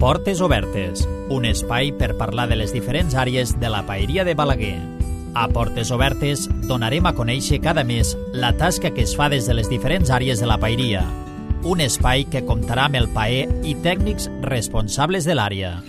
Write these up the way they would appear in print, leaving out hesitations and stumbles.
Portes Obertes, un espai per parlar de les diferents àrees de la paeria de Balaguer. A Portes Obertes donarem a conèixer cada mes la tasca que es fa des de les diferents àrees de la paeria. Un espai que comptarà amb el paer i tècnics responsables de l'àrea.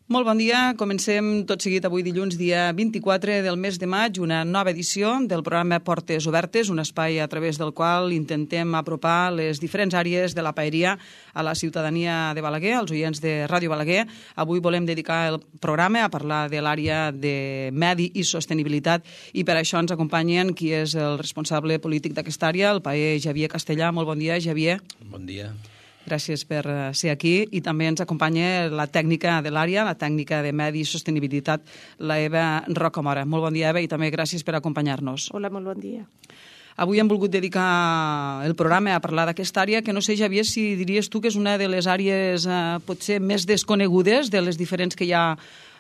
Molt bon dia. Comencem tot seguit avui dilluns, dia 24 del mes de maig, una nova edició del programa Portes Obertes, un espai a través del qual intentem apropar les diferents àrees de la paeria a la ciutadania de Balaguer, als oients de Ràdio Balaguer. Avui volem dedicar el programa a parlar de l'àrea de medi i sostenibilitat i per això ens acompanyen qui és el responsable polític d'aquesta àrea, el paer Xavier Castellà. Molt bon dia, Xavier. Bon dia. Gràcies per ser aquí i també ens acompanya la tècnica de l'àrea, la tècnica de Medi i Sostenibilitat, la Eva Rocamora. Molt bon dia, Eva, i també gràcies per acompanyar-nos. Hola, molt bon dia. Avui hem volgut dedicar el programa a parlar d'aquesta àrea que no sé, Xavier, si diries tu que és una de les àrees potser més desconegudes de les diferents que hi ha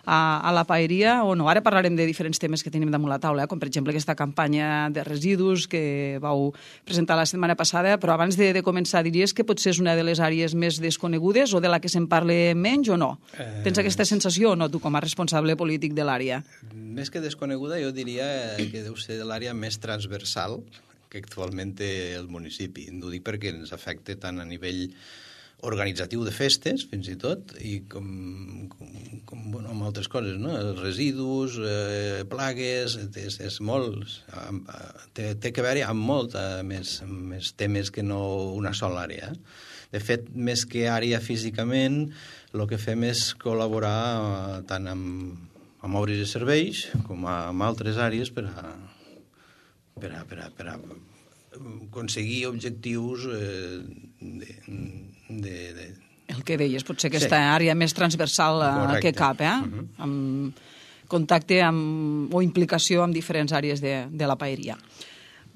a la paeria o no. Ara parlarem de diferents temes que tenim damunt la taula, com per exemple aquesta campanya de residus que vau presentar la setmana passada, però abans de començar diries que potser és una de les àrees més desconegudes o de la que se'n parla menys o no? Tens aquesta sensació o no, tu com a responsable polític de l'àrea? Més que desconeguda, jo diria que deu ser l'àrea més transversal que actualment té el municipi. No ho dic perquè ens afecta tant a nivell organitzatiu de festes, fins i tot, i com amb altres coses, no? Els residus, plagues, és molt... Té que veure amb molt més temes que no una sola àrea. De fet, més que àrea físicament, el que fem és col·laborar tant amb obres i serveis com amb altres àrees per a aconseguir objectius El que deies, potser aquesta àrea més transversal que cap, amb contacte o implicació amb diferents àrees de la paeria.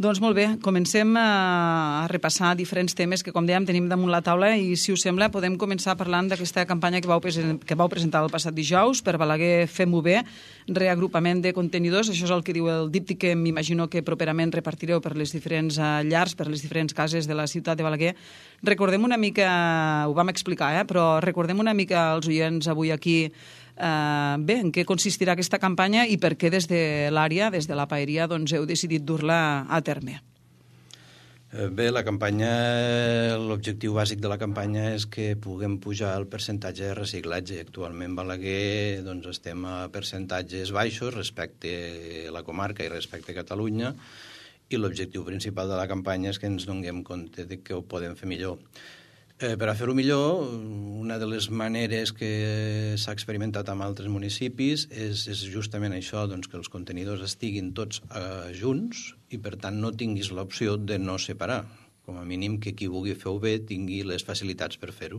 Doncs molt bé, comencem a repassar diferents temes que, com dèiem, tenim damunt la taula i, si us sembla, podem començar parlant d'aquesta campanya que vau presentar el passat dijous per Balaguer Fem-ho bé, reagrupament de contenidors. Això és el que diu el díptic que m'imagino que properament repartireu per les diferents llars, per les diferents cases de la ciutat de Balaguer. Recordem una mica, ho vam explicar, però recordem una mica als oients avui aquí en què consistirà aquesta campanya i per què des de l'àrea, des de la paeria, doncs heu decidit dur-la a terme. Bé, la campanya, l'objectiu bàsic de la campanya és que puguem pujar el percentatge de reciclatge. Actualment a Balaguer estem a percentatges baixos respecte a la comarca i respecte a Catalunya i l'objectiu principal de la campanya és que ens donem compte de que ho podem fer millor. Per a fer-ho millor, una de les maneres que s'ha experimentat en altres municipis és justament això, que els contenidors estiguin tots junts i, per tant, no tinguis l'opció de no separar. Com a mínim que qui vulgui fer-ho bé tingui les facilitats per fer-ho.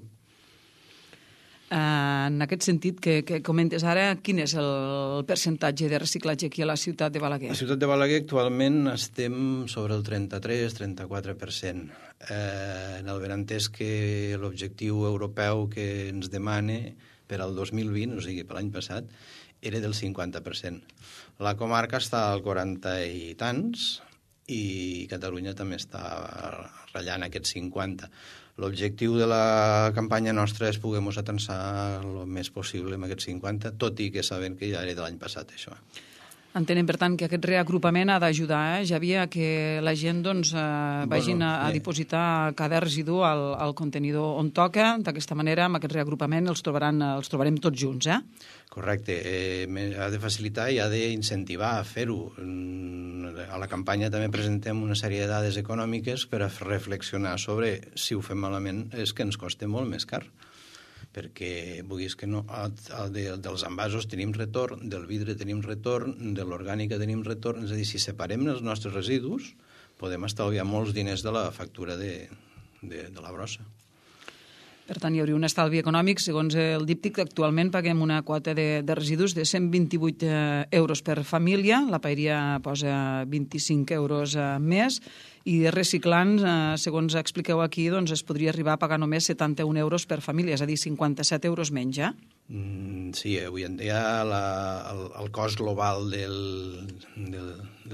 En aquest sentit, que comentes ara, quin és el percentatge de reciclatge aquí a la ciutat de Balaguer? A la ciutat de Balaguer actualment estem sobre el 33-34%. El benentès que l'objectiu europeu que ens demana per al 2020, o sigui, per l'any passat, era del 50%. La comarca està al 40 i tants i Catalunya també està ratllant aquests 50. L'objectiu de la campanya nostra és poder-nos atensar el més possible amb aquests 50, tot i que sabem que ja era de l'any passat, això. Entenem, per tant, que aquest reagrupament ha d'ajudar, Xavier, a que la gent vagin a dipositar cada residu al contenidor on toca. D'aquesta manera, amb aquest reagrupament els trobarem tots junts, Correcte. Ha de facilitar i ha d'incentivar a fer-ho. A la campanya també presentem una sèrie de dades econòmiques per a reflexionar sobre si ho fem malament és que ens costa molt més car. Perquè, vulguis que no, dels envasos tenim retorn, del vidre tenim retorn, de l'orgànica tenim retorn. És a dir, si separem els nostres residus, podem estalviar molts diners de la factura de la brossa. Per tant, hi hauria un estalvi econòmic. Segons el díptic, actualment paguem una quota de residus de 128 euros per família. La paeria posa 25 euros més. I reciclant, segons expliqueu aquí, doncs es podria arribar a pagar només 71 euros per família, és a dir, 57 euros menys, Sí, avui en dia el cost global de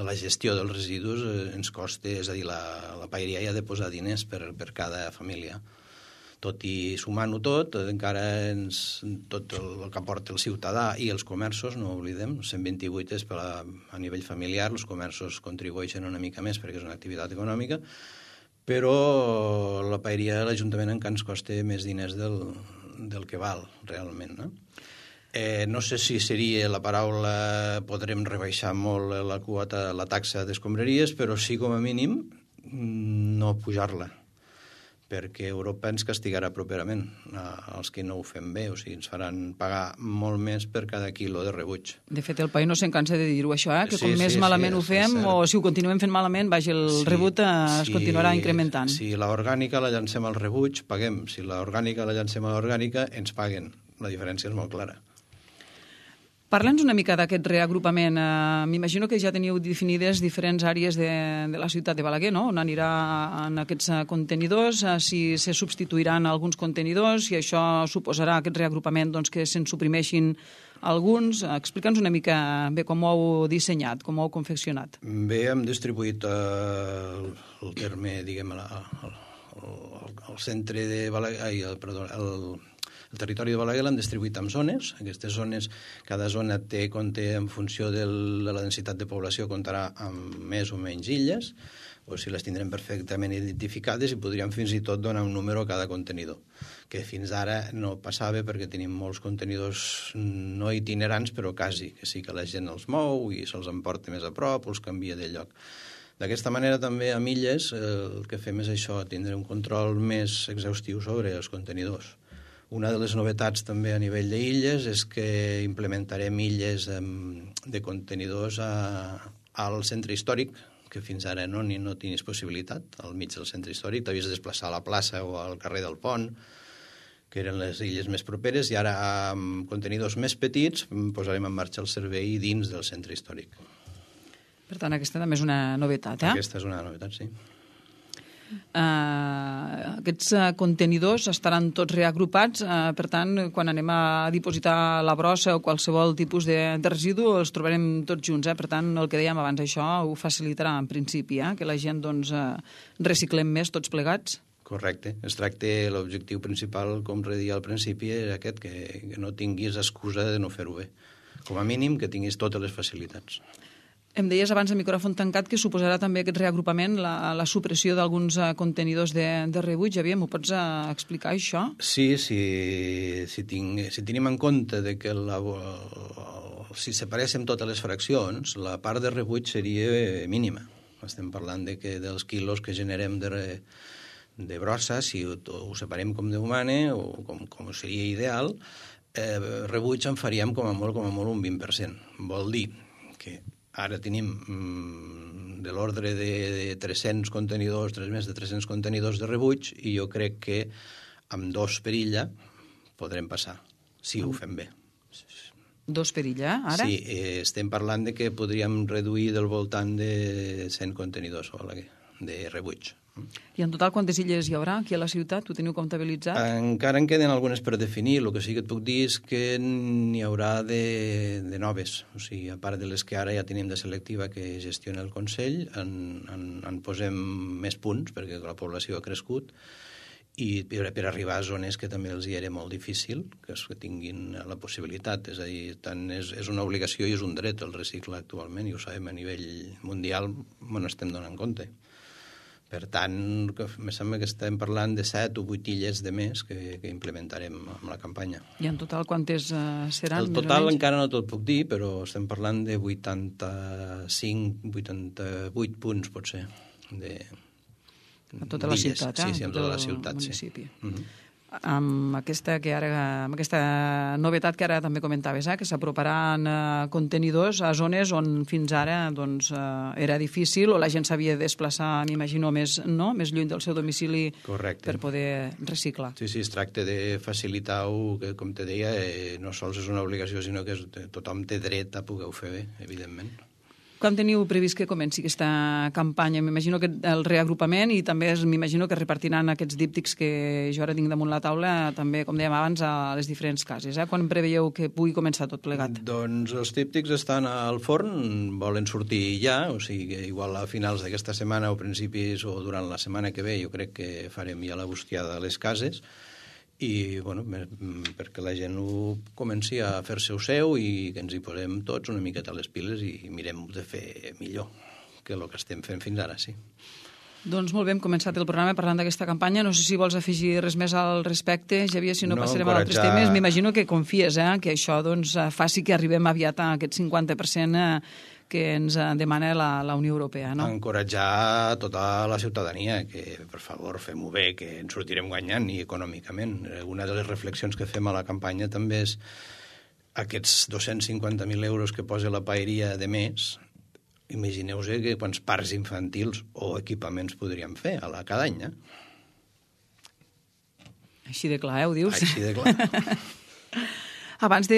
la gestió dels residus ens costa, és a dir, la paeria ha de posar diners per cada família. Tot i sumant-ho tot, encara tot el que aporta el ciutadà i els comerços, no ho oblidem, 128 és a nivell familiar, els comerços contribueixen una mica més perquè és una activitat econòmica, però la paeria de l'Ajuntament encara ens costa més diners del que val realment, no? No sé si seria la paraula podrem rebaixar molt la quota, la taxa d'escombraries, però sí com a mínim no pujar-la, perquè Europa ens castigarà properament els que no ho fem bé, o sigui, ens faran pagar molt més per cada quilo de rebuig. De fet, el país no se'n cansa de dir-ho, això, que com més malament ho fem, o si ho continuem fent malament, el rebut es continuarà incrementant. Si l'orgànica la llancem al rebuig, paguem. Si l'orgànica la llancem a l'orgànica, ens paguen. La diferència és molt clara. Parla'ns una mica d'aquest reagrupament. M'imagino que ja teniu definides diferents àrees de la ciutat de Balaguer, no? On aniran aquests contenidors, si se substituiran alguns contenidors, si això suposarà aquest reagrupament que se'n suprimeixin alguns. Explica'ns una mica bé com ho heu dissenyat, com ho heu confeccionat. Bé, hem distribuït el terme, diguem, el centre de Balaguer, el territori de Balaguer l'han distribuït en zones. Aquestes zones, cada zona compta en funció de la densitat de població, comptarà amb més o menys illes, o si les tindrem perfectament identificades i podríem fins i tot donar un número a cada contenidor, que fins ara no passava perquè tenim molts contenidors no itinerants, però quasi, que sí que la gent els mou i se'ls emporta més a prop o els canvia de lloc. D'aquesta manera també a Illes el que fem és això, tindre un control més exhaustiu sobre els contenidors. Una de les novetats també a nivell d'illes és que implementarem illes de contenidors al centre històric, que fins ara no tenies possibilitat, al mig del centre històric, t'havies de desplaçar a la plaça o al carrer del Pont, que eren les illes més properes, i ara amb contenidors més petits posarem en marxa el servei dins del centre històric. Per tant, aquesta també és una novetat, Aquesta és una novetat, sí. Aquests contenidors estaran tots reagrupats, per tant, quan anem a dipositar la brossa o qualsevol tipus de residu els trobarem tots junts, per tant, el que dèiem abans, això ho facilitarà en principi, que la gent reciclem més tots plegats. Correcte. Es tracta, l'objectiu principal, com redia al principi, era aquest, que no tinguis excusa de no fer-ho bé. Com a mínim, que tinguis totes les facilitats. Em deies abans de micròfon tancat que suposarà també aquest reagrupament la supressió d'alguns contenidors de rebuig. Javier, m'ho pots explicar, això? Sí, si tenim en compte de que si separéssim totes les fraccions, la part de rebuig seria mínima. Estem parlant de que dels quilos que generem de brossa, si ho separem com Déu mana, o com seria ideal, rebuig en faríem com a molt un 20%. Vol dir que ara tenim de l'ordre de 300 contenidors, més de 300 contenidors de rebuig, i jo crec que amb 2 per illa podrem passar, si ho fem bé. 2 per illa, ara? Sí, estem parlant de que podríem reduir del voltant de 100 contenidors de rebuig. I en total quantes illes hi haurà aquí a la ciutat? Ho teniu comptabilitzat? Encara en queden algunes per definir. El que sí que et puc dir és que n'hi haurà de noves. O sigui, a part de les que ara ja tenim de selectiva que gestiona el Consell, en posem més punts perquè la població ha crescut, i per arribar a zones que també els hi era molt difícil, que tinguin la possibilitat. És a dir, tant és una obligació i és un dret el reciclar actualment, i ho sabem a nivell mundial, n'estem donant compte. Per tant, em sembla que estem parlant de 7 o 8 illes de més que implementarem amb la campanya. I en total quantes seran? El total encara no te'l puc dir, però estem parlant de 85, 88 punts, potser, a tota la ciutat, Sí, en tota la ciutat, municipi. Sí. amb aquesta novetat que ara també comentaves, que s'aproparan contenidors a zones on fins ara era difícil o la gent s'havia de desplaçar, m'imagino, més lluny del seu domicili. Correcte. Per poder reciclar. Sí, es tracta de facilitar-ho, que com te deia, no sols és una obligació, sinó que tothom té dret a poder-ho fer bé, evidentment. Quan teniu previst que comenci aquesta campanya? M'imagino que el reagrupament i també m'imagino que repartiran aquests díptics que jo ara tinc damunt la taula, també, com dèiem abans, a les diferents cases. Quan preveieu que pugui començar tot plegat? Doncs els díptics estan al forn, volen sortir ja, o sigui que igual a finals d'aquesta setmana o principis o durant la setmana que ve jo crec que farem ja la bustiada a les cases i, bueno, perquè la gent ho comenci a fer-se-ho seu i que ens hi posem tots una miqueta a les piles i mirem de fer millor que el que estem fent fins ara, sí. Doncs molt bé, hem començat el programa parlant d'aquesta campanya. No sé si vols afegir res més al respecte, Xavier, si no passarem a altres temes. M'imagino que confies que això faci que arribem aviat a aquest 50% que ens demana la Unió Europea, no? Encoratjar tota la ciutadania que, per favor, fem-ho bé, que ens sortirem guanyant i econòmicament. Una de les reflexions que fem a la campanya també és aquests 250.000 euros que posa la paeria de mes. Imagineu-vos que quants parcs infantils o equipaments podríem fer cada any, Així de clar, ho dius? Així de clar. Abans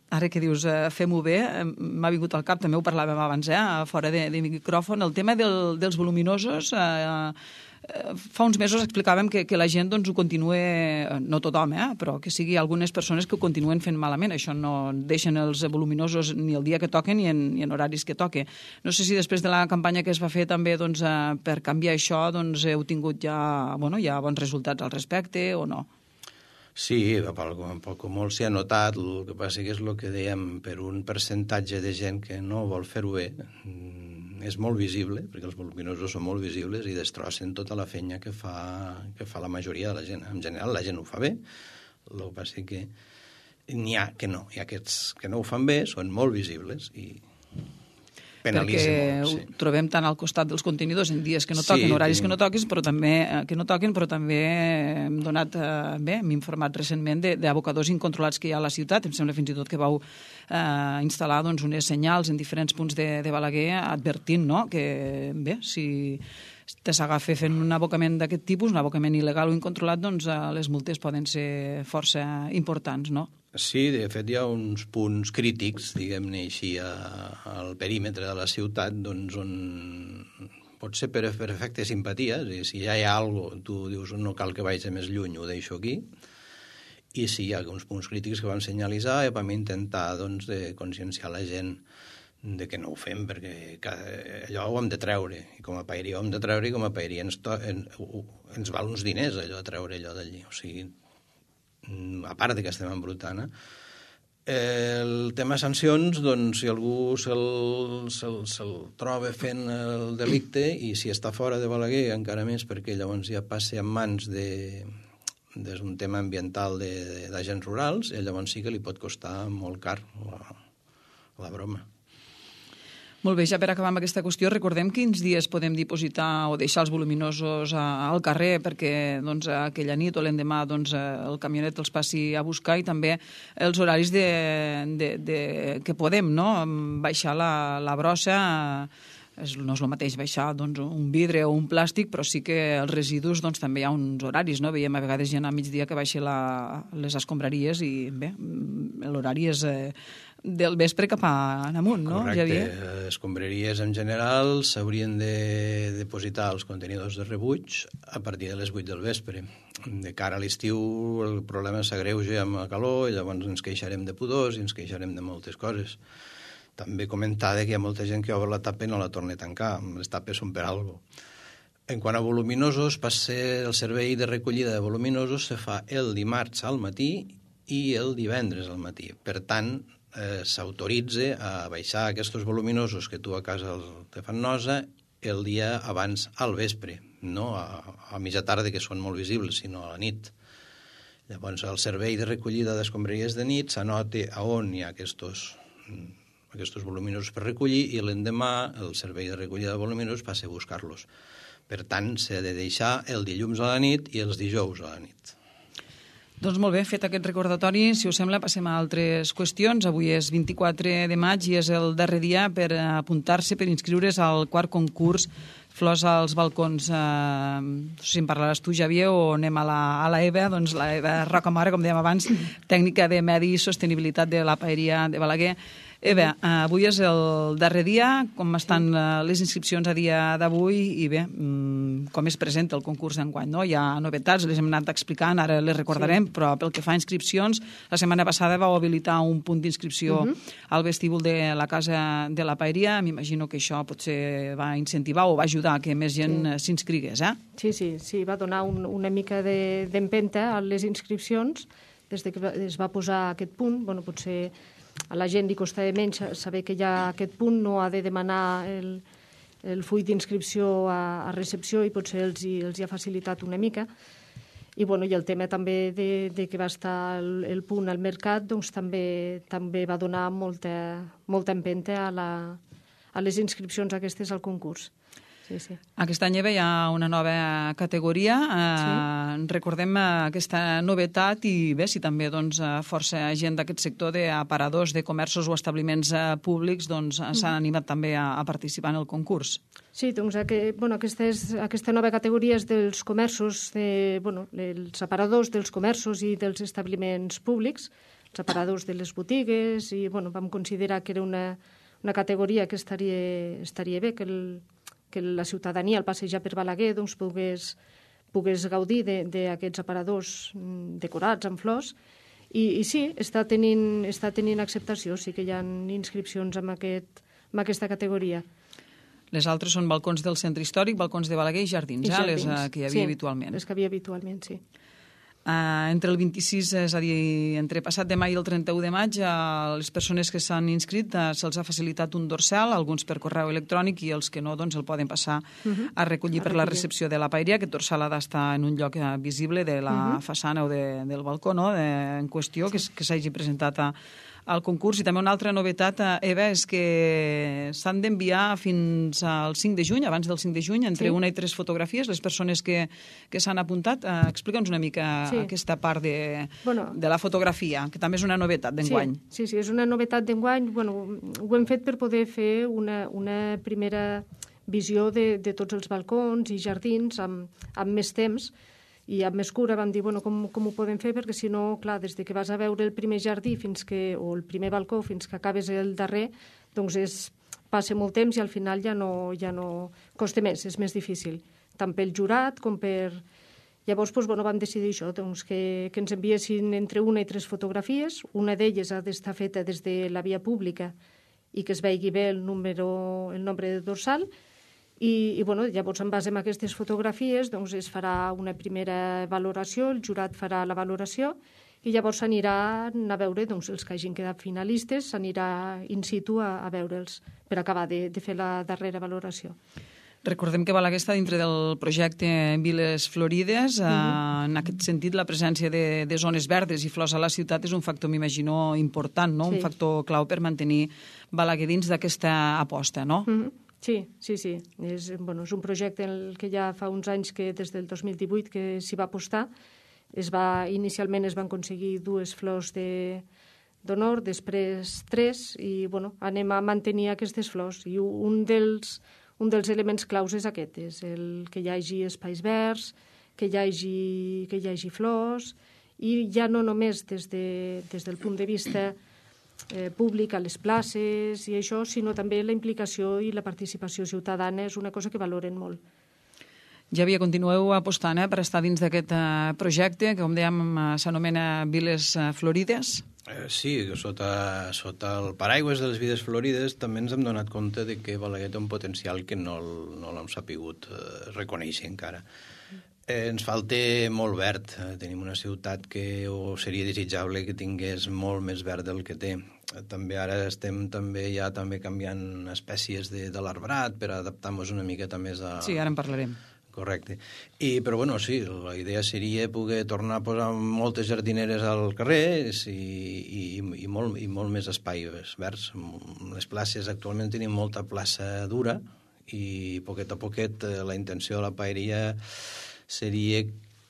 ara que dius fem-ho bé, m'ha vingut al cap, també ho parlàvem abans, fora de micròfon, el tema dels voluminosos. Fa uns mesos explicàvem que la gent ho continua, no tothom, però que sigui algunes persones que ho continuen fent malament. Això no deixen els voluminosos ni el dia que toquen ni en horaris que toque. No sé si després de la campanya que es va fer també per canviar això heu tingut ja bons resultats al respecte o no? Sí, poc o molt s'hi ha notat, el que passa que és el que dèiem, per un percentatge de gent que no vol fer-ho bé, és molt visible, perquè els voluminosos són molt visibles i destrossen tota la feina que fa la majoria de la gent. En general, la gent ho fa bé, el que passa que n'hi ha que no. Hi ha aquests que no ho fan bé, són molt visibles i penalitzen molt. Perquè ho trobem tant al costat dels contenidors en dies que no toquen, horaris que no toquen, però també hem informat recentment d'abocadors incontrolats que hi ha a la ciutat. Em sembla fins i tot que vau instal·lar unes senyals en diferents punts de Balaguer advertint que, bé, si s'agafa fent un abocament d'aquest tipus, un abocament il·legal o incontrolat, les multes poden ser força importants, no? Sí, de fet hi ha uns punts crítics, diguem-ne així, al perímetre de la ciutat, on pot ser per efecte simpatia, si ja hi ha alguna cosa, tu dius no cal que vagi més lluny, ho deixo aquí, i sí, hi ha uns punts crítics que vam senyalitzar i vam intentar de conscienciar la gent de que no ho fem, perquè allò ho hem de treure, i com a paeria ho hem de treure, i com a paeria ens val uns diners allò, treure allò d'allí, o sigui, a part que estem embrutant. El tema sancions, si algú se'l troba fent el delicte i si està fora de Balaguer encara més perquè llavors ja passa en mans d'un tema ambiental d'agents rurals i llavors sí que li pot costar molt car la broma. Molt bé, ja per acabar amb aquesta qüestió, recordem quins dies podem dipositar o deixar els voluminosos al carrer perquè aquella nit o l'endemà el camionet els passi a buscar i també els horaris que podem, no? Baixar la brossa, no és el mateix baixar un vidre o un plàstic, però sí que els residus també hi ha uns horaris, no? Veiem a vegades gent a migdia que baixa les escombraries i bé, l'horari és del vespre cap amunt, no, Javier? Correcte. Escombraries en general s'haurien de depositar els contenidors de rebuig a partir de les 8 del vespre. De cara a l'estiu el problema s'agreuja amb la calor i llavors ens queixarem de pudors i ens queixarem de moltes coses. També comentar que hi ha molta gent que obre la tapa i no la torna a tancar. Les tapes són per alguna cosa. En quant a voluminosos, el servei de recollida de voluminosos se fa el dimarts al matí i el divendres al matí. Per tant, s'autoritza a baixar aquests voluminosos que tu a casa te fan nosa el dia abans al vespre, no a mitja tarda, que són molt visibles, sinó a la nit. Llavors, el servei de recollida d'escombraries de nit s'anota a on hi ha aquests voluminosos per recollir i l'endemà el servei de recollida de voluminosos passa a buscar-los. Per tant, s'ha de deixar el dilluns a la nit i els dijous a la nit. Doncs molt bé, fet aquest recordatori, si us sembla, passem a altres qüestions. Avui és 24 de maig i és el darrer dia per apuntar-se, per inscriure's al quart concurs Flors als balcons. No sé si en parlaràs tu, Xavier, o anem a la Eva, doncs la Eva Rocamora, com dèiem abans, tècnica de medi i sostenibilitat de la Paeria de Balaguer. Eva, avui és el darrer dia, com estan les inscripcions a dia d'avui i bé, com es presenta el concurs d'enguany, no? Hi ha novetats, les hem anat explicant, ara les recordarem, però pel que fa a inscripcions, la setmana passada vau habilitar un punt d'inscripció al vestíbul de la Casa de la Paeria. M'imagino que això potser va incentivar o va ajudar a que més gent s'inscrigués, eh? Sí, va donar una mica d'empenta a les inscripcions des que es va posar aquest punt. Bueno, potser a la gent li costava menys saber que hi ha aquest punt, no ha de demanar el full d'inscripció a recepció i potser els hi ha facilitat una mica. I el tema també de que va estar el punt al mercat doncs també va donar molta empenta a les inscripcions aquestes al concurs. Sí. Aquest any hi ha una nova categoria. Recordem aquesta novetat i bé, si també força gent d'aquest sector d'aparadors de comerços o establiments públics s'han animat també a participar en el concurs. Sí, doncs aquesta nova categoria és dels comerços, els aparadors dels comerços i dels establiments públics, els aparadors de les botigues, i vam considerar que era una categoria que estaria bé, que la ciutadania al passejar per Balaguer pogués gaudir d'aquests aparadors decorats amb flors. I sí, està tenint acceptació, sí que hi ha inscripcions en aquesta categoria. Les altres són balcons del centre històric, balcons de Balaguer i jardins, les que hi havia habitualment. Les que hi havia habitualment, sí. Entre el 26, és a dir, entre passat de maig i el 31 de maig, les persones que s'han inscrit se'ls ha facilitat un dorsal, alguns per correu electrònic i els que no el poden passar a recollir per la recepció de la paeria. Aquest dorsal ha d'estar en un lloc visible de la façana o del balcó en qüestió, que s'hagi presentat al concurs. I també una altra novetat, Eva, és que s'han d'enviar fins al 5 de juny, abans del 5 de juny, entre 1 i 3 fotografies, les persones que s'han apuntat. Explica'ns una mica aquesta part de la fotografia, que també és una novetat d'enguany. Sí, és una novetat d'enguany. Ho hem fet per poder fer una primera visió de tots els balcons i jardins amb més temps, i amb més cura vam dir, com ho podem fer, perquè si no, clar, des que vas a veure el primer jardí o el primer balcó fins que acabes el darrer, doncs passa molt temps i al final ja no costa més, és més difícil, tant pel jurat com per... Llavors vam decidir això, que ens enviessin entre 1 i 3 fotografies. Una d'elles ha d'estar feta des de la via pública i que es vegi bé el nombre de dorsal. I llavors, en base a aquestes fotografies, es farà una primera valoració, el jurat farà la valoració i llavors s'anirà a veure els que hagin quedat finalistes, s'anirà in situ a veure'ls per acabar de fer la darrera valoració. Recordem que Balaguer està dintre del projecte Viles Florides. En aquest sentit, la presència de zones verdes i flors a la ciutat és un factor, m'imagino, important, no? Un factor clau per mantenir Balaguer dins d'aquesta aposta, no? Sí. És un projecte en el que ja fa uns anys, que des del 2018 que s'hi va apostar. Inicialment es van aconseguir 2 flors d'honor, després 3, i anem a mantenir aquestes flors. I un dels elements claus és aquest, és el que hi hagi espais verds, que hi hagi flors, i ja no només des del punt de vista públic a les places i això, sinó també la implicació i la participació ciutadana és una cosa que valoren molt. Javier, continueu apostant per estar dins d'aquest projecte, que com dèiem s'anomena Viles Florides? Sí, sota el paraigües de les Viles Florides també ens hem donat compte de que Balaguer té un potencial que no l'hem sapigut reconèixer encara. Ens falta molt verd. Tenim una ciutat que seria desitjable que tingués molt més verd del que té. També ara estem també canviant espècies de l'arbrat per adaptar-nos una miqueta més a... Sí, ara en parlarem. Correcte. Però sí, la idea seria poder tornar a posar moltes jardineres al carrer i molt més espais verds. Les places, actualment tenim molta plaça dura i poquet a poquet la intenció de la paeria seria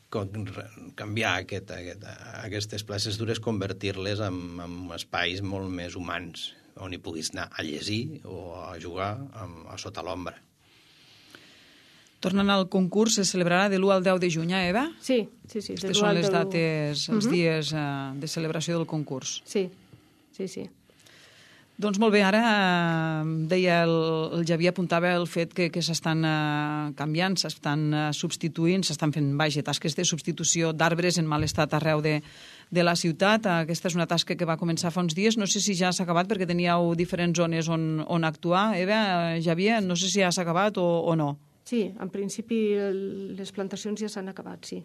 canviar aquestes places dures, convertir-les en espais molt més humans, on hi puguis anar a llegir o a jugar a sota l'ombra. Tornant al concurs, se celebrarà de l'1 al 10 de juny, Eva? Sí. Aquestes són les dates, els dies de celebració del concurs. Sí. Doncs molt bé, ara deia el Javier, apuntava el fet que s'estan canviant, s'estan substituint, s'estan fent tasques de substitució d'arbres en mal estat arreu de la ciutat. Aquesta és una tasca que va començar fa uns dies. No sé si ja s'ha acabat perquè teníeu diferents zones on actuar. Eva, Javier, no sé si ja s'ha acabat o no. Sí, en principi les plantacions ja s'han acabat, sí.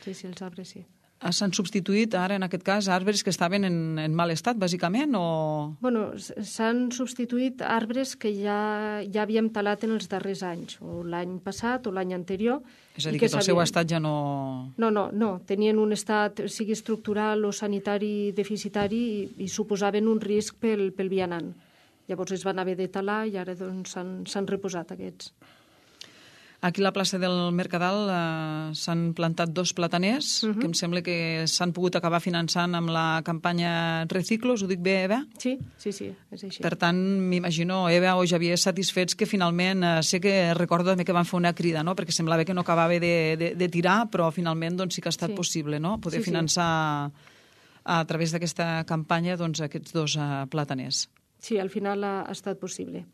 Sí, els arbres sí. S'han substituït ara, en aquest cas, arbres que estaven en mal estat, bàsicament, o...? Bueno, s'han substituït arbres que ja havíem talat en els darrers anys, o l'any passat o l'any anterior. És a dir, que el seu estat ja no... No, tenien un estat, sigui estructural o sanitari deficitari i suposaven un risc pel vianant. Llavors es van haver de talar i ara doncs s'han reposat aquests. Aquí a la plaça del Mercadal s'han plantat 2 plataners, que em sembla que s'han pogut acabar finançant amb la campanya Reciclos. Ho dic bé, Eva? Sí, és així. Per tant, m'imagino, Eva o Javier, satisfets que finalment, sé que recordo també que van fer una crida, no? Perquè semblava que no acabava de tirar, però finalment doncs, sí que ha estat possible, no? Poder finançar a través d'aquesta campanya doncs, aquests 2 plataners. Sí, al final ha estat possible.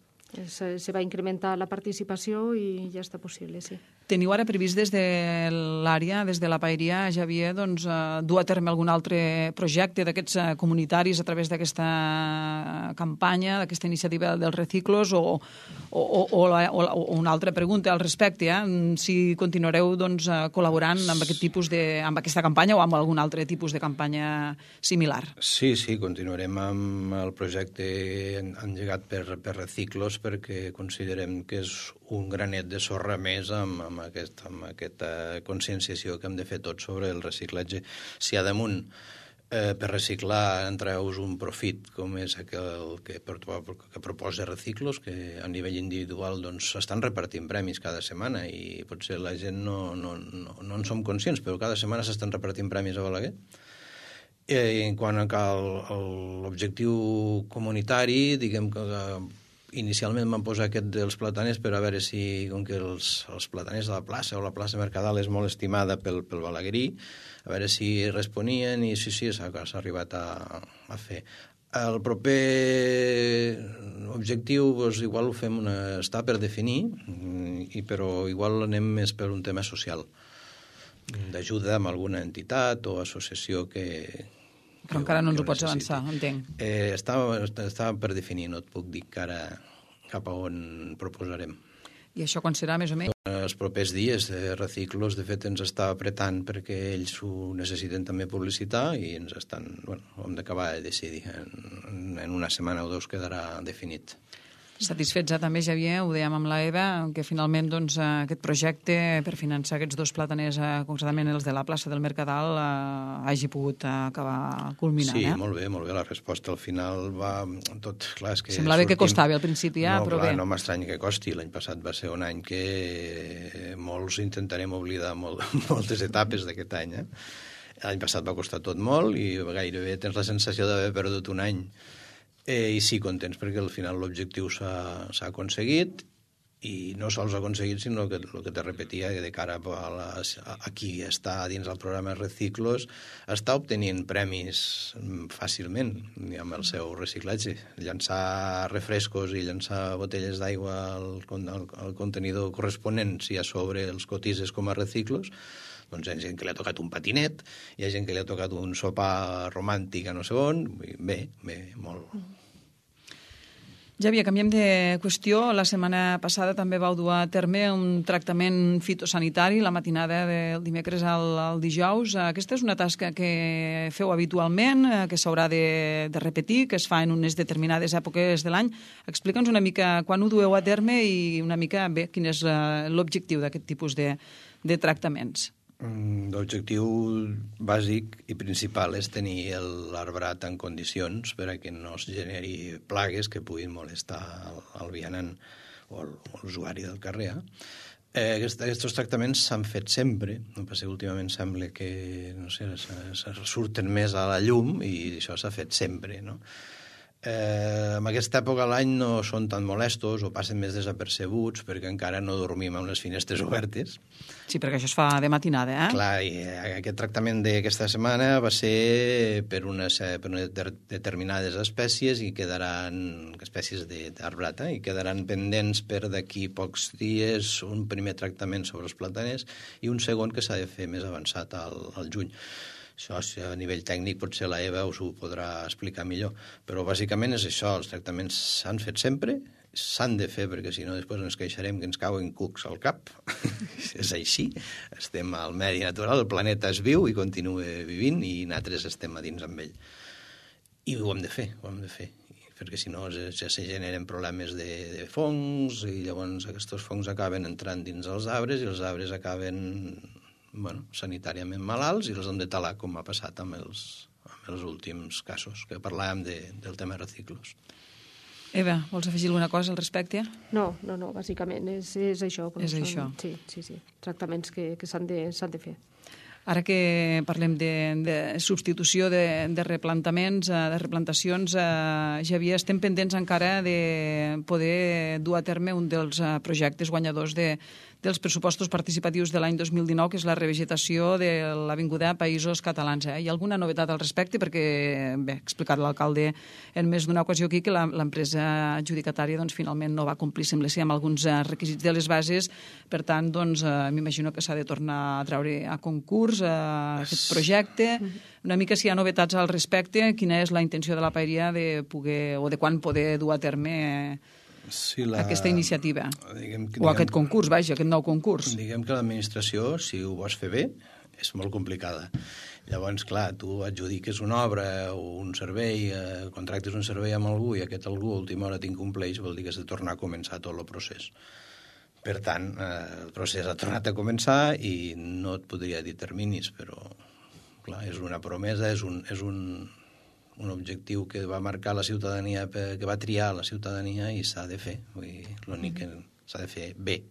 Se va incrementar la participació i ja està possible, sí. Teniu ara previst des de l'àrea, des de la paeria, Javier, doncs, dur a terme algun altre projecte d'aquests comunitaris a través d'aquesta campanya, d'aquesta iniciativa dels Reciclos, o una altra pregunta al respecte, si continuareu doncs, col·laborant amb aquest tipus amb aquesta campanya o amb algun altre tipus de campanya similar? Sí, continuarem amb el projecte engegat per Reciclos, perquè considerem que és un granet de sorra més amb aquesta conscienciació que hem de fer tots sobre el reciclatge. Si a damunt per reciclar entreus un profit com és el que proposa Reciclos, que a nivell individual doncs, estan repartint premis cada setmana i potser la gent no en som conscients, però cada setmana s'estan repartint premis a Balaguer. En quant a l'objectiu comunitari, diguem que inicialment vam posar aquest dels plataners per a veure si, com que els plataners de la plaça o la plaça Mercadal és molt estimada pel balaguerí, a veure si responien i sí, s'ha arribat a fer. El proper objectiu, doncs, igual ho fem, està per definir, però igual anem més per un tema social, d'ajuda amb alguna entitat o associació que... Però encara no ens ho pots avançar, entenc. Està per definir, no et puc dir encara cap a on proposarem. I això quan serà, més o menys? Els propers dies de Reciclos, de fet, ens està apretant perquè ells ho necessiten també publicitar i ens estan... hem d'acabar de decidir. En una setmana o 2 quedarà definit. Satisfets també, Javier, ho dèiem amb la Eva, que finalment doncs, aquest projecte per finançar aquests 2 plataners, concretament els de la plaça del Mercadal, hagi pogut acabar culminant. Sí, molt bé, la resposta al final va tot... Clar, és que semblava que costava al principi, però bé. No m'estranya que costi. L'any passat va ser un any que molts intentarem oblidar moltes etapes d'aquest any. L'any passat va costar tot molt i gairebé tens la sensació d'haver perdut un any. I sí, contents, perquè al final l'objectiu s'ha aconseguit i no sols aconseguit, sinó que el que te repetia, de cara a qui està dins del programa Reciclos, està obtenint premis fàcilment amb el seu reciclatge. Llançar refrescos i llançar botelles d'aigua al contenidor corresponent, si a sobre els cotitzes com a Reciclos, doncs hi ha gent que li ha tocat un patinet, hi ha gent que li ha tocat un sopar romàntic a no sé on, bé, molt. Javier, canviem de qüestió. La setmana passada també vau dur a terme un tractament fitosanitari la matinada del dimecres al dijous. Aquesta és una tasca que feu habitualment, que s'haurà de repetir, que es fa en unes determinades èpoques de l'any. Explica'ns una mica quan ho dueu a terme i una mica bé quin és l'objectiu d'aquest tipus de tractaments. L'objectiu bàsic i principal és tenir l'arbrat en condicions per a que no es generi plagues que puguin molestar el vianant o l'usuari del carrer. Aquests tractaments s'han fet sempre, no passa que últimament sembla que, no sé, se surten més a la llum i això s'ha fet sempre, no? En aquesta època de l'any no són tan molestos o passen més desapercebuts perquè encara no dormim amb les finestres obertes. Sí, perquè això es fa de matinada, eh? Clar, i aquest tractament d'aquesta setmana va ser per unes determinades espècies i quedaran, espècies d'arbrata, i quedaran pendents per d'aquí pocs dies un primer tractament sobre els plataners i un segon que s'ha de fer més avançat al juny. Això, a nivell tècnic, potser la Eva us ho podrà explicar millor. Però bàsicament és això, els tractaments s'han fet sempre, s'han de fer, perquè si no després ens queixarem que ens cauen cucs al cap. És així, estem al medi natural, el planeta es viu i continua vivint i nosaltres estem a dins amb ell. I ho hem de fer, perquè si no ja se generen problemes de fongs i llavors aquests fongs acaben entrant dins els arbres i els arbres acaben sanitàriament malalts i els hem de talar, com ha passat amb els últims casos, que parlàvem del tema reciclos. Eva, vols afegir alguna cosa al respecte? No, bàsicament és això. És això. Sí, tractaments que s'han de fer. Ara que parlem de substitució de replantaments, de replantacions, Xavier, estem pendents encara de poder dur a terme un dels projectes guanyadors dels pressupostos participatius de l'any 2019, que és la revegetació de l'Avinguda Països Catalans. Hi ha alguna novetat al respecte? Perquè, bé, ha explicat l'alcalde en més d'una ocasió aquí que l'empresa adjudicatària finalment no va complir, sembla ser, amb alguns requisits de les bases. Per tant, m'imagino que s'ha de tornar a treure a concurs aquest projecte. Una mica si hi ha novetats al respecte, quina és la intenció de la paeria de poder, o de quan poder dur a terme aquesta iniciativa, o aquest concurs, vaja, aquest nou concurs. Diguem que l'administració, si ho vols fer bé, és molt complicada. Llavors, clar, tu adjudiques una obra o un servei, contractes un servei amb algú i aquest algú a última hora t'incompleix, vol dir que has de tornar a començar tot el procés. Per tant, el procés ha tornat a començar i no et podria dir terminis, però, clar, és una promesa, és un objectiu que va marcar la ciutadania, que va triar la ciutadania i s'ha de fer. L'únic que s'ha de fer bé.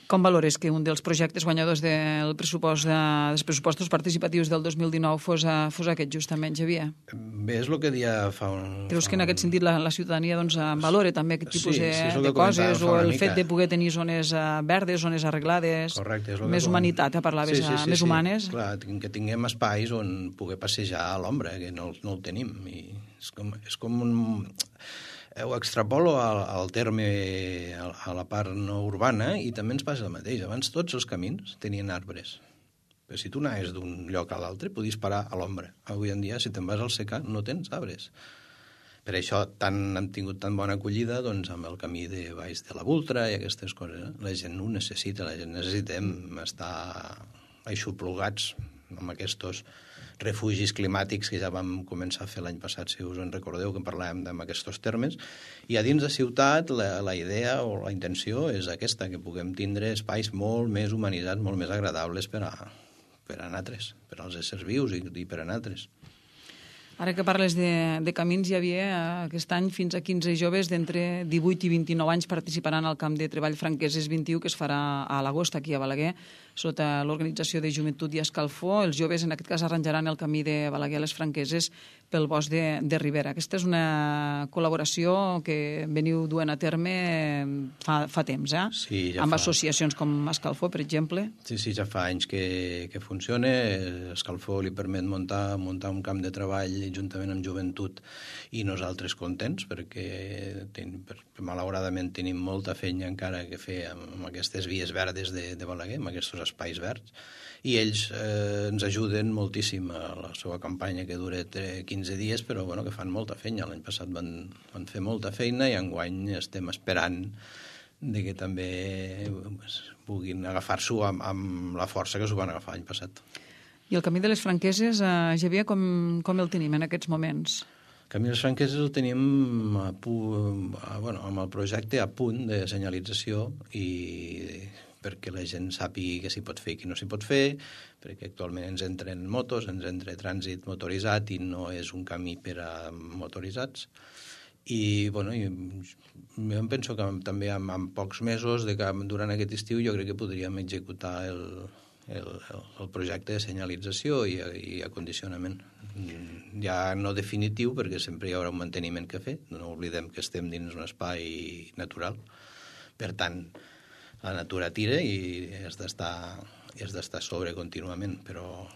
Com valores que un dels projectes guanyadors dels pressupostos participatius del 2019 fos aquest, justament, Xavier? Bé, és el que deia fa un... Creus que en aquest sentit la ciutadania valora també aquest tipus de coses, o el fet de poder tenir zones verdes, zones arreglades, més humanitat, parlaves, més humanes? Clar, que tinguem espais on poder passejar a l'ombra, que no el tenim. És com un... Ho extrapolo al terme, a la part no urbana, i també ens passa el mateix. Abans tots els camins tenien arbres. Però si tu anaves d'un lloc a l'altre, podies parar a l'ombra. Avui en dia, si te'n vas al secà, no tens arbres. Per això hem tingut tan bona acollida amb el camí de baix de la Vultra i aquestes coses. La gent ho necessita, necessitem estar aixoplugats amb aquests refugis climàtics que ja vam començar a fer l'any passat, si us en recordeu, que parlàvem d'aquests termes. I a dins de ciutat la idea o la intenció és aquesta, que puguem tindre espais molt més humanitzats, molt més agradables per a nosaltres, per als éssers vius i per a nosaltres. Ara que parles de camins, hi havia aquest any fins a 15 joves d'entre 18 i 29 anys participaran al camp de treball Franqueses 21, que es farà a l'agost aquí a Balaguer, sota l'Organització de Joventut i Escalfor. Els joves, en aquest cas, arranjaran el camí de Balaguer a les Franqueses pel bosc de Ribera. Aquesta és una col·laboració que veniu duent a terme fa temps, Sí, ja amb fa. Associacions com Escalfor, per exemple. Sí, ja fa anys que funciona. Escalfor li permet muntar un camp de treball juntament amb Joventut i nosaltres contents perquè malauradament tenim molta feina encara que fer amb aquestes vies verdes de Balaguer, amb aquests espais verds, i ells ens ajuden moltíssim a la seva campanya, que dura 15 dies, però que fan molta feina. L'any passat van fer molta feina i enguany estem esperant que també puguin agafar-s'ho amb la força que s'ho van agafar l'any passat. I el camí de les Franqueses, Xavier, com el tenim en aquests moments? El camí de les Franqueses el tenim amb el projecte a punt de senyalització i perquè la gent sàpigui què s'hi pot fer i què no s'hi pot fer, perquè actualment ens entren motos, ens entra trànsit motoritzat i no és un camí per a motoritzats. I, bueno, jo em penso que també en pocs mesos, durant aquest estiu, jo crec que podríem executar el projecte de senyalització i acondicionament. Ja no definitiu, perquè sempre hi haurà un manteniment que fer. No oblidem que estem dins un espai natural. Per tant, la natura tira i has d'estar sobre contínuament, però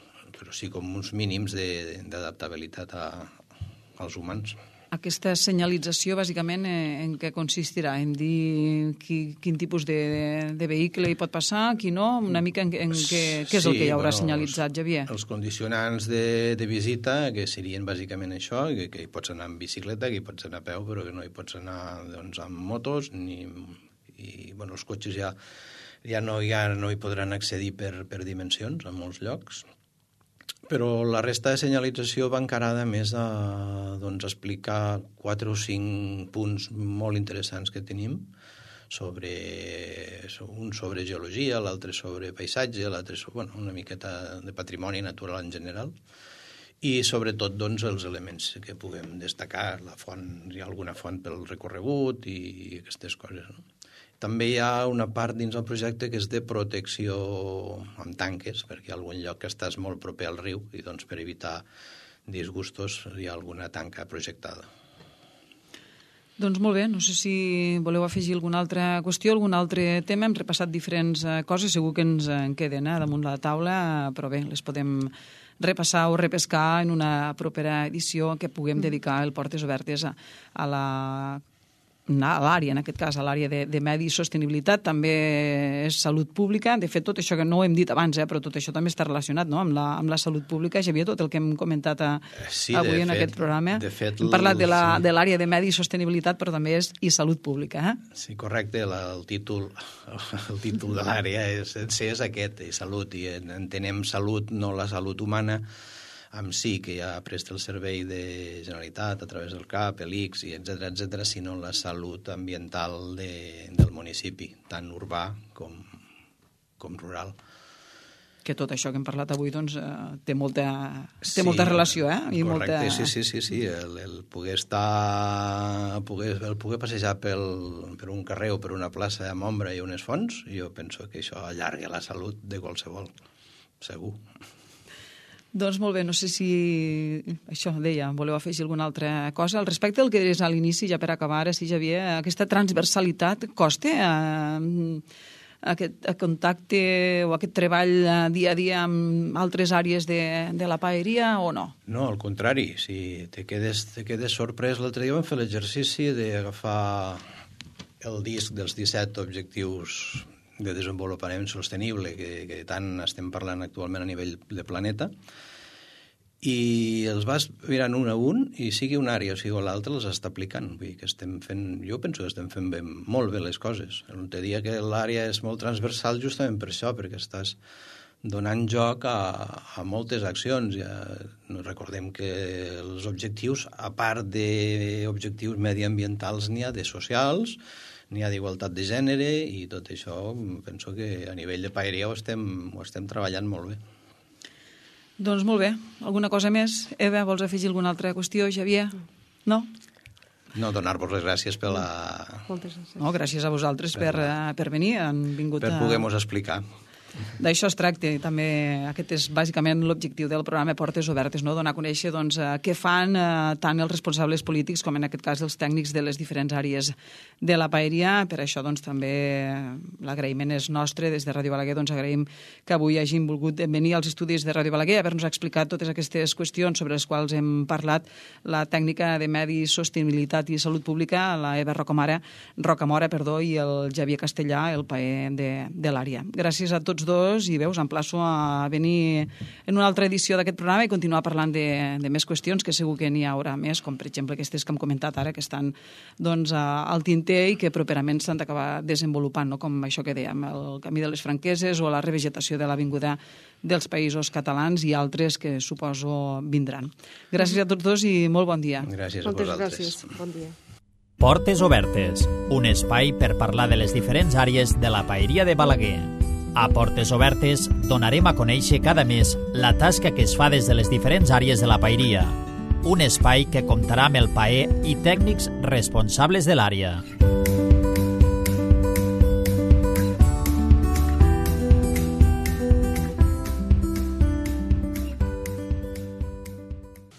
sí com uns mínims d'adaptabilitat als humans. Aquesta senyalització, bàsicament, en què consistirà? En dir quin tipus de vehicle hi pot passar, qui no? Una mica en què és el que hi haurà senyalitzat, Xavier? Els condicionants de visita, que serien bàsicament això, que hi pots anar amb bicicleta, que hi pots anar a peu, però que no hi pots anar amb motos, i els cotxes ja no hi podran accedir per dimensions en molts llocs. Però la resta de senyalització va encarada més a explicar 4 o 5 punts molt interessants que tenim, un sobre geologia, l'altre sobre paisatge, l'altre sobre una miqueta de patrimoni natural en general, i sobretot els elements que puguem destacar, la font, hi ha alguna font pel recorregut i aquestes coses, no? També hi ha una part dins el projecte que és de protecció amb tanques, perquè hi ha algun lloc que estàs molt proper al riu i per evitar disgustos hi ha alguna tanca projectada. Doncs molt bé, no sé si voleu afegir alguna altra qüestió, algun altre tema. Hem repassat diferents coses, segur que ens en queden damunt la taula, però bé, les podem repassar o repescar en una propera edició que puguem dedicar el Portes Obertes a l'àrea, en aquest cas, a l'àrea de medi i sostenibilitat, també és salut pública. De fet, tot això que no ho hem dit abans, però tot això també està relacionat, no?, amb la salut pública. Xavier, tot el que hem comentat avui en aquest programa. Hem parlat de l'àrea de medi i sostenibilitat, però també és i salut pública. Sí, correcte. El títol de l'àrea és aquest, i salut, i entenem salut, no la salut humana, amb sí que ja presta el servei de Generalitat a través del CAP, l'ICS, etcètera, sinó la salut ambiental del municipi, tant urbà com rural. Que tot això que hem parlat avui té molta relació, I correcte, sí. El poder passejar per un carrer o per una plaça amb ombra i unes fonts, jo penso que això allarga la salut de qualsevol, segur. Doncs molt bé, no sé si això deia, voleu afegir alguna altra cosa. Al respecte del que deies a l'inici, ja per acabar, sí, Xavier, aquesta transversalitat costa aquest contacte o aquest treball dia a dia amb altres àrees de la paeria o no? No, al contrari, si te quedes sorprès. L'altre dia vam fer l'exercici d'agafar el disc dels 17 objectius de desenvolupament sostenible que tant estem parlant actualment a nivell de planeta, i els vas mirant un a un, i sigui una àrea o sigui l'altra, els està aplicant. Vull dir que jo penso que estem fent molt bé les coses. Te dia que l'àrea és molt transversal justament per això, perquè estàs donant joc a moltes accions. Recordem que els objectius, a part d'objectius mediambientals, n'hi ha de socials, n'hi ha d'igualtat de gènere, i tot això penso que a nivell de paeria ho estem treballant molt bé. Doncs molt bé. Alguna cosa més? Eva, vols afegir alguna altra qüestió? Xavier? No? No, donar-vos les gràcies per la... Moltes gràcies. No, gràcies a vosaltres per venir. Han vingut per poder-nos explicar. D'això es tracta, i també aquest és bàsicament l'objectiu del programa Portes Obertes, no? Donar a conèixer què fan tant els responsables polítics com en aquest cas els tècnics de les diferents àrees de la paeria. Per això també l'agraïment és nostre. Des de Ràdio Balaguer agraïm que avui hagin volgut venir als estudis de Ràdio Balaguer a haver-nos explicat totes aquestes qüestions sobre les quals hem parlat, la tècnica de medi, sostenibilitat i salut pública, la Eva Rocamora, i el Xavier Castellà, el paer de l'àrea. Gràcies a tots dos, i us emplaço a venir en una altra edició d'aquest programa i continuar parlant de més qüestions, que segur que n'hi haurà més, com per exemple aquestes que hem comentat ara, que estan al tinter i que properament s'han d'acabar desenvolupant, no? Com això que dèiem, el camí de les Franqueses o la revegetació de l'Avinguda dels Països Catalans i altres que suposo vindran. Gràcies a tots dos i molt bon dia. Gràcies a vosaltres. Moltes gràcies, bon dia. Portes Obertes, un espai per parlar de les diferents àrees de la paeria de Balaguer. A Portes Obertes donarem a conèixer cada mes la tasca que es fa des de les diferents àrees de la paeria. un espai que comptarà amb el PAE i tècnics responsables de l'àrea.